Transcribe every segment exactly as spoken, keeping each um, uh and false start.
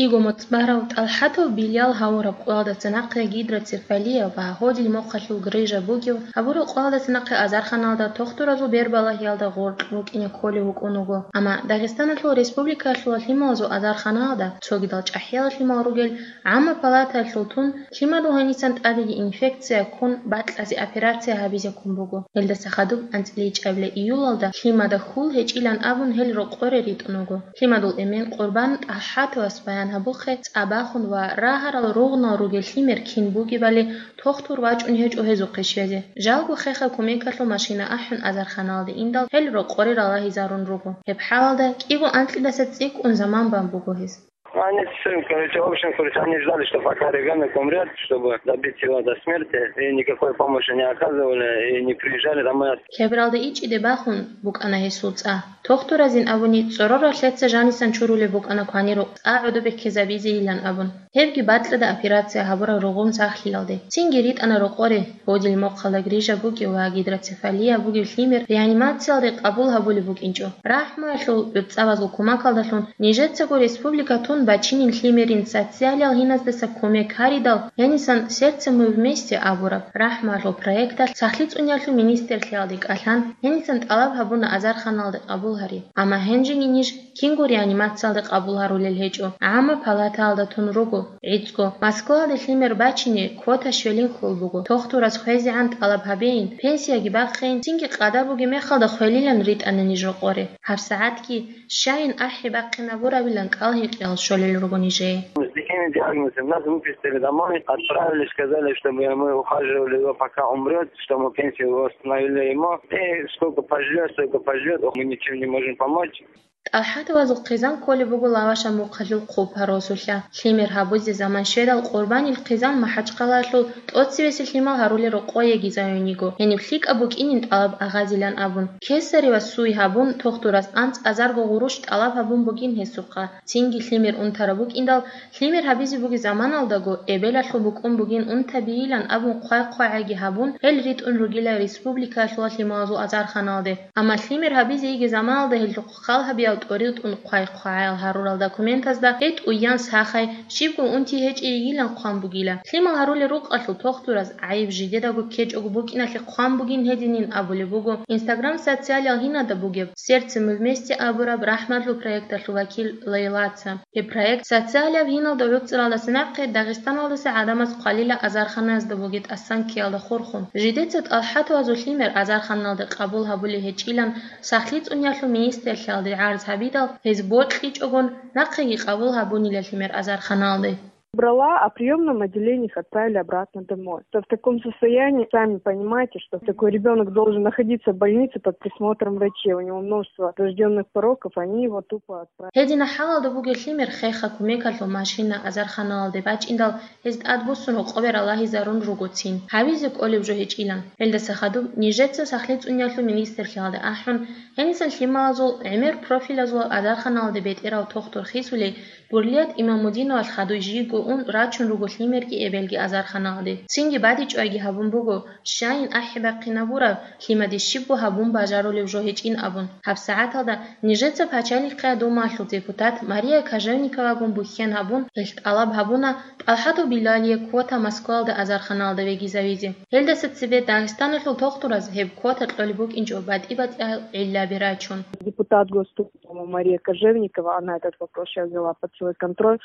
КӀиго моцӀ барав ТӀалхӀатов Билал гьавураб къоялдаса нахъе гидроцефалия ва гьодил мохъалъул грыжа бугев гьабураб къоялдаса нахъе азарханалда тохтуразул бербалагьиялда гъоркь рукӀине кколев вукӀун вуго. Амма Дагъистаналъул республикаялъула лъималазул азарханалда цогидал чӀахӀиял лъимал ругел гӀамма палатаялъул тун лъимадул гьенисан тӀадеги инфекция ккун бакьазе операция гьабизе ккун буго. Гьелдаса хадуб анцӀила ичӀабила июлалда лъимада хьул гьечӀилан абун гьел рокъоре ритӀун вуго. Лъимадул эмен Къурбан ТӀалхӀатовас баян гьабухъе цӀа бахун ва рагьарал ругънал ругел лъимер кин бугебали тохтур вачӀун гьечӀо гьезухъе щвезе. Жалго хехаб кумекалъул машина ахӀун азарханалде индал гьел рокъоре ралагьизарун руго. Гьеб хӀалалда кӀиго анкьидаса цӀикӀкӀун заман бан буго гьез. Они с сыном, короче, в общем, короче, они ждали, что пока ребенок умрет, чтобы добить его до смерти, и никакой помощи не оказывали, и не приезжали домой. Кебралда ичӀиде бахун букӀана гьесул цӀа. Тохтуразин абуни, цӀорорал лъеца жанисан чурулеб букӀана кванирукъ цӀа гӀодобеккезабизейилан абун. Гьебги бакьада операция гьабураб ругъун сахлъиялде. Цинги ритӀана рокъоре, гьодил мохъалда грыжа бугев ва гидроцефалия бугев лъимер реанимациялде къабул гьабулеб букӀинчӀо. РахӀмуялъул гӀурцӀабазул кумакалдалъун нижецаго республика тун бачинин лъимерин социалиял гьиназдаса кумек гьаридал, гьенисан «Сердце мы вместе» абураб рахӀмуялъул проекталъ сахлъи цӀуниялъул министрлъиялде кӀалъан, гьенисан тӀалаб гьабуна азарханалде къабул гьари. Амма гьенжеги ниж кинго реанимациялде къабул гьарулел гьечӀо, гӀамма палатаялда тун руго. ГӀицӀго Москваялде лъимер бачине квота щвелин хьул буго. Тохтураз хвезегӀан тӀалаб гьабейин, пенсияги бахъейин, цинги къадар бугеб мехалда хвелилан ритӀана ниж рокъоре. ГьабсагӀатги щайин ахӀи бахъинабурабилан кӀалгьекъиял щолел руго нижее. С такими диагнозами нас выпустили домой, отправили, сказали, чтобы мы ухаживали его, пока умрет, что мы пенсию восстановили ему. И сколько поживет, столько поживет, ох, мы ничем не можем помочь. ТӀалхӀатовазул хъизан кколеб буго Лаваша мухъалъул хъупа росулъа. Лъимер гьабузе заман щведал, Къурбанил хъизан МахӀачхъалаялъул тӀоцевесел лъимал гьарулел рокъое гизаюн йиго, гьениб лъикӀаб букӀинин тӀалаб агъазилан абун. Кесаревас суй гьабун, тохтурас анцӀазарго гъурущ тӀалаб гьабун бугин гьесухъа. Цинги лъимер унтараб букӀиндал, лъимер гьабизе бугеб заманалдаго эбелалъул букӀун бугин унтабийилан абун хъвай-хъвагӀайги гьабун, гьел ритӀун ругила республикаялъула лъималазул азарханалде. Амма лъимер гьабизе йиги заманалда гьелъухъ хал гьабиял тӀоритӀун хъвай-хъвагӀаял гьарурал документазда гьетӀ уян сахай, щибго унти гьечӀей йигилан хъван бугила. Лъимал гьарулел рукъалъул тохтураз гӀайиб жидедаго ккечӀого букӀиналъе хъван бугин гьединин абулеб буго Instagram социалиял гьинада бугеб «Сердце мы вместе» абураб рахӀматлъул проекталъул вакил Лейлаца. Гьеб проект социалияб гьиналда гӀуцӀралдаса нахъе Дагъистаналдаса гӀадамаз хъвалила азарханаязда бугеб тӀасан ккеялда хурхун. Жидеца ТӀалхӀатовазул лъимер азарханалде къабул гьабулей гьечӀилан сахлъи цӀуниялъул министрлъиялде гӀарз гьабидал, гьез бокьичӀогон, нахъеги къабул гьабунила лъимер азарханалде. Брала, а в приёмном отделении их отправили обратно домой. То в таком состоянии, сами понимаете, что такой ребёнок должен находиться в больнице под присмотром врачей. У него множество врождённых пороков, они его тупо отправили. Гьедина хӀалалда бугеб лъимер хеха кумекалъул машина азарханалде бачӀиндал, гьез тӀадбуссун гьукъубе ралагьизарун ругоцин. Гьабизе кӀолеб жо гьечӀилан. Гьелдаса хадуб нижеца сахлъи цӀуниялъул министрлъиялде ахӀун, гьенисан лъималазул гӀемер профилазул азарханалде бетӀерав тохтур хисулей, Бурлият Имамудиновалъ хадуй жийго ун рачун руго лъимерги эбелги азарханалде. Цинги бадибчӀвайги гьабун буго, щайин ахӀи бахъинабураб, лъимаде щибго гьабун бажарулев жо гьечӀин абун. ГьабсагӀаталда нижеца Пачалихъа Думаялъул депутат Мария Кожевниковагун бухьен гьабун, гьелъ тӀалаб гьабуна ТӀалхӀатов Билалие квота Москваялда азарханалда вегизавизе. Гьелдаса цебе Дагъистаналъул тохтураз гьеб квота кьолеб букӀинчӀо батӀи-батӀиял гӀиллаби рачун. Депутат Госдумы Мария Кожевникова, она этот вопрос щас взяла под свой контроль.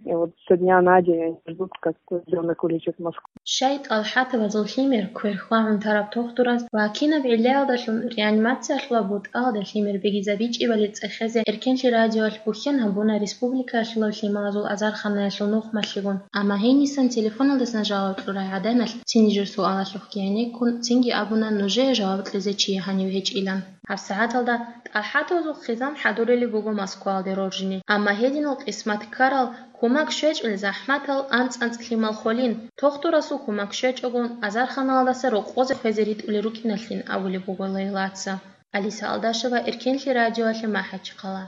И вот со дня на день они ждут, как ребёнок улетит в Москву. Щай ТӀалхӀатовазул лъимер квер хьвагӀун тараб тохтураз ва кинаб гӀиллаялдалъун реанимациялъула бутӀаялда лъимер бегизабичӀебали цӀехезе Эркенлъи радиоялъ бухьен гьабуна республикаялъулаб лъималазул азарханаялъул нухмалъигун. Амма гьенисан телефоналдасан жаваб кьурай гӀаданалъ цин нижер суалалъухъги гӀенеккун, цинги абуна нужее жаваб кьезе чи гьанив гьечӀилан. ГьабсагӀаталда ТӀалхӀатовазул хъизан хӀадурулеб буго Москваялде роржине, амма гьединал къисмат ккарал, кумак щвечӀел захӀматал анцӀ-анцӀ лъимал холин, тохтурасул кумак щвечӀогун, азарханалдаса рокъозе хвезе ритӀулел рукӀиналъин абулеб буго Лейлаца. Алиса Алдашева, Эркенлъи радиоялъе, МахӀачхъала.